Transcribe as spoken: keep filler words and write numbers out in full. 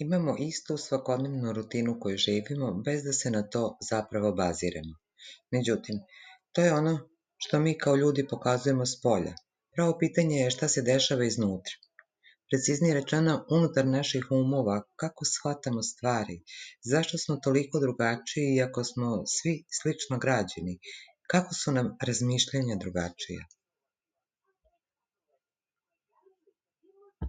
Imamo istu svakodnevnu rutinu koju živimo bez da se na to zapravo baziramo. Međutim, to je ono što mi kao ljudi pokazujemo spolja. Pravo pitanje je šta se dešava iznutra. Preciznije rečeno, unutar naših umova, kako shvatamo stvari, zašto smo toliko drugačiji iako smo svi slično građeni, kako su nam razmišljanja drugačija.